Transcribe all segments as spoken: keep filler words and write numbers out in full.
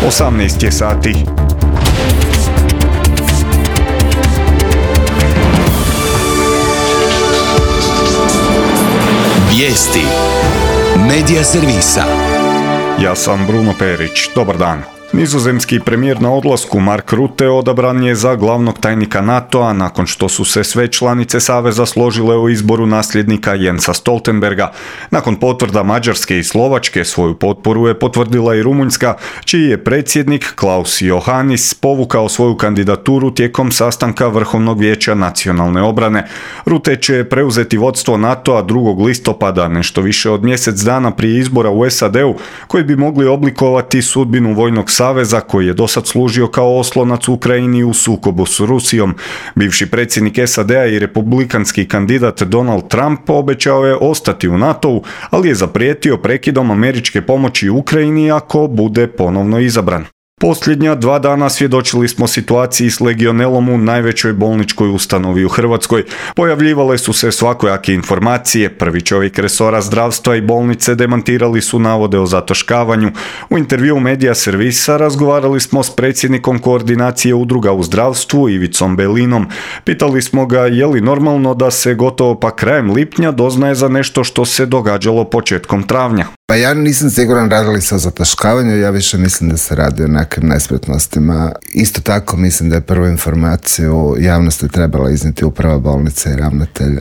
osamnaest je sati. Vijesti Medija servisa. Ja sam Bruno Perić. Dobar dan. Nizozemski premijer na odlasku Mark Rutte odabran je za glavnog tajnika NATO-a nakon što su se sve članice saveza složile o izboru nasljednika Jensa Stoltenberga. Nakon potvrda Mađarske i Slovačke svoju potporu je potvrdila i Rumunjska, čiji je predsjednik Klaus Johannis povukao svoju kandidaturu tijekom sastanka Vrhovnog vijeća nacionalne obrane. Rutte će preuzeti vodstvo NATO-a drugog listopada, nešto više od mjesec dana prije izbora u S A D-u, koji bi mogli oblikovati sudbinu vojnog saveza koji je dosad služio kao oslonac Ukrajini u sukobu s Rusijom. Bivši predsjednik S A D-a i republikanski kandidat Donald Trump obećao je ostati u NATO-u, ali je zaprijetio prekidom američke pomoći Ukrajini ako bude ponovno izabran. Posljednja dva dana svjedočili smo situaciji s legionelom u najvećoj bolničkoj ustanovi u Hrvatskoj. Pojavljivale su se svakojake informacije. Prvi čovjek resora zdravstva i bolnice demantirali su navode o zataškavanju. U intervjuu Medija servisa razgovarali smo s predsjednikom koordinacije udruga u zdravstvu Ivicom Belinom. Pitali smo ga je li normalno da se gotovo pa krajem lipnja doznaje za nešto što se događalo početkom travnja. Pa ja nisam siguran radili se o zataškavanju, ja više mislim da se radi o nekim nespretnostima. Isto tako mislim da je prvu informaciju javnosti trebala iznijeti uprava bolnice i ravnatelj,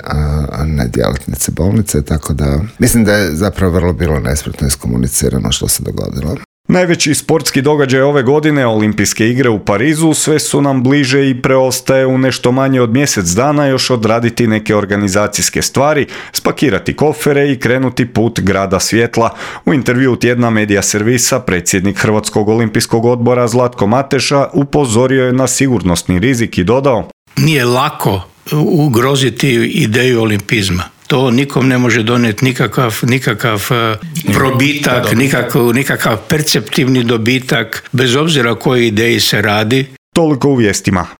a ne djelatnici bolnice, tako da mislim da je zapravo vrlo bilo nespretno iskomunicirano što se dogodilo. Najveći sportski događaj ove godine, Olimpijske igre u Parizu, sve su nam bliže i preostaje u nešto manje od mjesec dana još odraditi neke organizacijske stvari, spakirati kofere i krenuti put grada svjetla. U intervjuu tjedna Medija servisa predsjednik Hrvatskog olimpijskog odbora Zlatko Mateša upozorio je na sigurnosni rizik i dodao: Nije lako ugroziti ideju olimpizma. To nikom ne može donijeti nikakav, nikakav probitak, nikakav, nikakav perceptivni dobitak, bez obzira o kojoj ideji se radi. Toliko u vijestima.